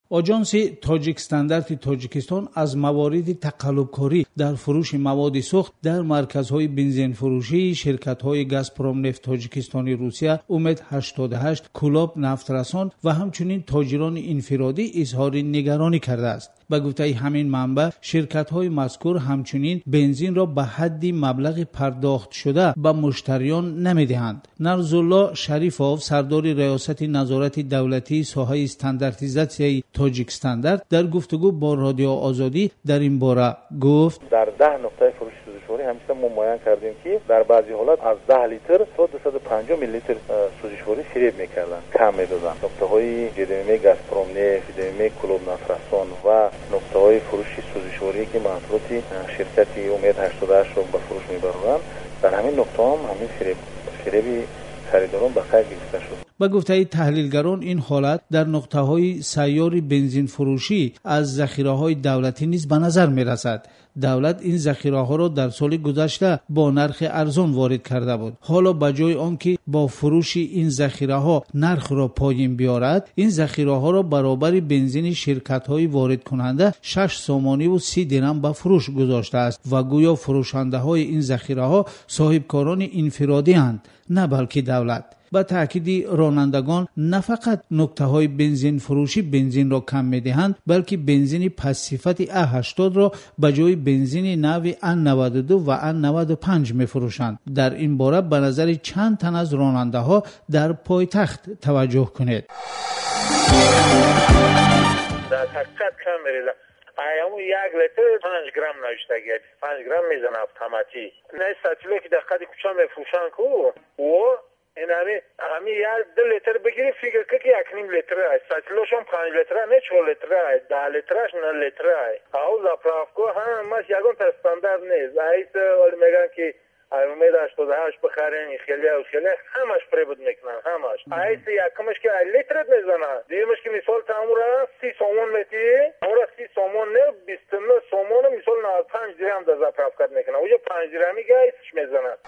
Оҷонси Тоҷикстандарти Тоҷикистон аз мавориди тақаллубкорӣ дар фурӯши маводи сӯхт дар марказҳои бензинфурӯшии ширкатҳои Газпромнефт Тоҷикистони Русия, Умед 88, Кӯлоб Нафтрасон ва ҳамчунин тоҷирони инфиродӣ изҳори нигаронӣ кардааст. Ба гуфтаи ҳамин манбаъ, ширкатҳои мазкур ҳамчунин бензинро ба ҳадди маблағи пардохтшуда ба муштариён намедиҳанд. Нарзулло Шарифов, сардори Раёсати назорати давлатии соҳаи стандартизатсияи Тоҷикстандарт, дар гуфтугӯ бо Радио Озодӣ дар ин бора гуфт: Дар 10 нуқтаи фурӯши сӯзишворӣ ҳамеша мо муайян кардем, ки дар баъзе ҳолат аз 10 литр то 250 миллилитр сӯзишворӣ фиреб мекарданд, кам медоданд. Нуқтаҳои ЖДМ Газпромнефт, ЖДМ Кӯлоб Нафтрасон ва нуқтаҳои фурӯши сӯзишворӣ, ки маҳсулоти ширкати Умед 88-ро ба фурӯш мебароранд, дар ҳамин нуқтаҳо ҳам ҳамин фиреби харидорон ба қайд гирифта шуд. Ба гуфтаи таҳлилгарон, ин ҳолат дар нуқтаҳои сайёри бензинфурӯшӣ аз захираҳои давлатӣ низ ба назар мерасад. Давлат ин захираҳоро дар соли гузашта бо нархи арзон ворид карда буд. Ҳоло ба ҷои он ки бо фурӯши ин захираҳо нархро поён биёрад, ин захираҳоро баробари бензини ширкатҳои воридкунанда 6 сомониву 30 дирам ба фурӯш гузоштааст ва гӯё фурӯшандаҳои ин захираҳо соҳибкорони инфиродианд, на балки давлат. Ба таъкиди ронандагон, на фақат нуқтаҳои бензинфурӯшӣ бензинро кам медиҳанд, балки бензини пастсифати А80-ро ба ҷои бензини нави А92 ва А95 мефурӯшанд. Дар ин бора ба назари чанд тан аз ронандаҳо дар пойтахт таваҷҷӯҳ кунед. Дар ҳақиқат кам мерезад. Ҳамун 1 литр 5 грамм навиштагӣ, 5 грамм мезанад автоматӣ. На сатиле ки дар қади кӯча мефурӯшанд ку, о ин ҳами 1-2 литр бигирӣ, фикр кун, ки 1,5 литр аст. Сатилошон 5 литра не, 4 литра, 10 литраш 9 литра. Ау заправка ҳамаш ягонта стандарт нест. Айс вале мегӯянд, ки Умед 88 бихарен, хеле хеле ҳамаш фиреб мекунанд, ҳамаш. Айс якумаш ки литрат мезанад, дуюмаш ки мисол тамура 30 сомон метиҳӣ, тамура 30 сомон не, 29 сомону мисол 95 дирам дар заправка мекунад. Уҷо 5 дирами гайсш мезанад.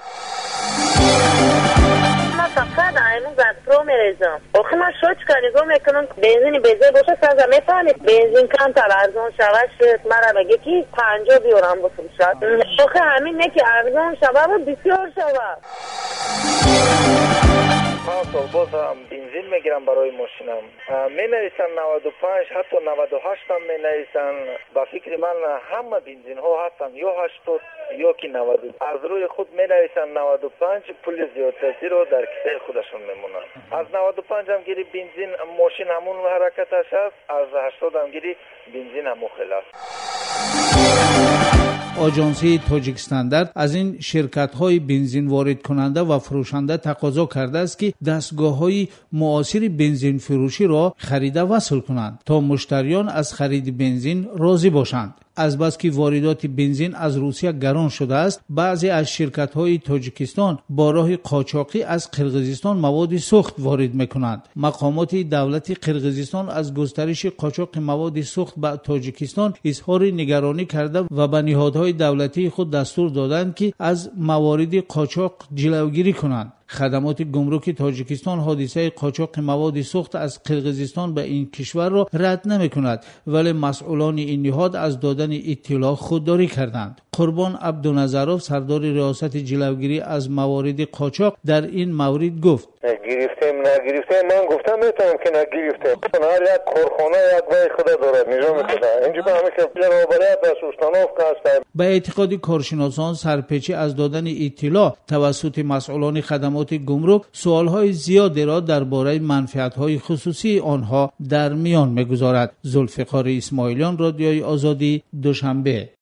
Ман фақат айму Газпром мерезам. Охи ман шочка нигоҳ мекунам, бензини безор боша, саза мефаҳмед, бензин камтар арзон шава шуд, мара меге ки 50 биёрам бифурӯшад. Охи ҳамин не ки арзон шава ва бисёр шава. 5 сол боз ҳам бензин мегирам барои мошинам. Менависанд 95, ҳатто 98 ҳам менависанд. Ба фикри ман ҳама бензинҳо ҳастанд ё 80 ё ки 90. Аз рӯи худ менависанд 95, пули зиёдтатиро дар кисаи худашон мемонанд. Аз 95 ҳам гири бензин мошин ҳамун ҳаракаташ аст, аз 80 ҳам гири бензин ҳамун хел аст. Оҷонсии Тоҷикстандарт аз ин ширкатҳои бензинворидкунанда ва фурӯшанда тақозо кардааст, ки дастгоҳҳои муосири бензинфурӯширо харида васл кунанд, то муштариён аз хариди бензин розӣ бошанд. Азбаски воридоти бензин аз Русия гарон шудааст, баъзе аз ширкатҳои Тоҷикистон бо роҳи қочоқӣ аз Қирғизистон маводи сӯхт ворид мекунанд. Мақомоти давлати Қирғизистон аз густариши қочоқи маводи сӯхт ба Тоҷикистон изҳори нигаронӣ карда ва ба ниҳодҳои давлатии худ дастур доданд, ки аз мавориди қочоқ ҷилавгирӣ кунанд. Хадамоти гумруки Тоҷикистон ҳодисаи қочоқи маводи сӯхт аз Қирғизистон ба ин кишварро рад намекунад, вале масъулони ин ниҳод аз додани иттилоъ худдорӣ карданд. Қурбон Абдуназаров, сардори Риёсати ҷилавгирӣ аз мавориди қочоқ, дар ин маврид гуфт: Гирифтем, нагирифтем, ман гуфтам метавонам ки нагирифтем. Ҳар як корхона як вай худа дорад, низоми худа. Инҷо ба ҳамин хел роҳбарият аст, установка аст. Ба эътиқоди коршиносон, сарпечӣ аз додани иттилоъ тавассути масъулони хадамоти гумрук суолҳои зиёдеро дар бораи манфиатҳои хусусии онҳо дар миён мегузорад. Зулфиқори Исмоилиён, Радиои Озодӣ, Душанбе.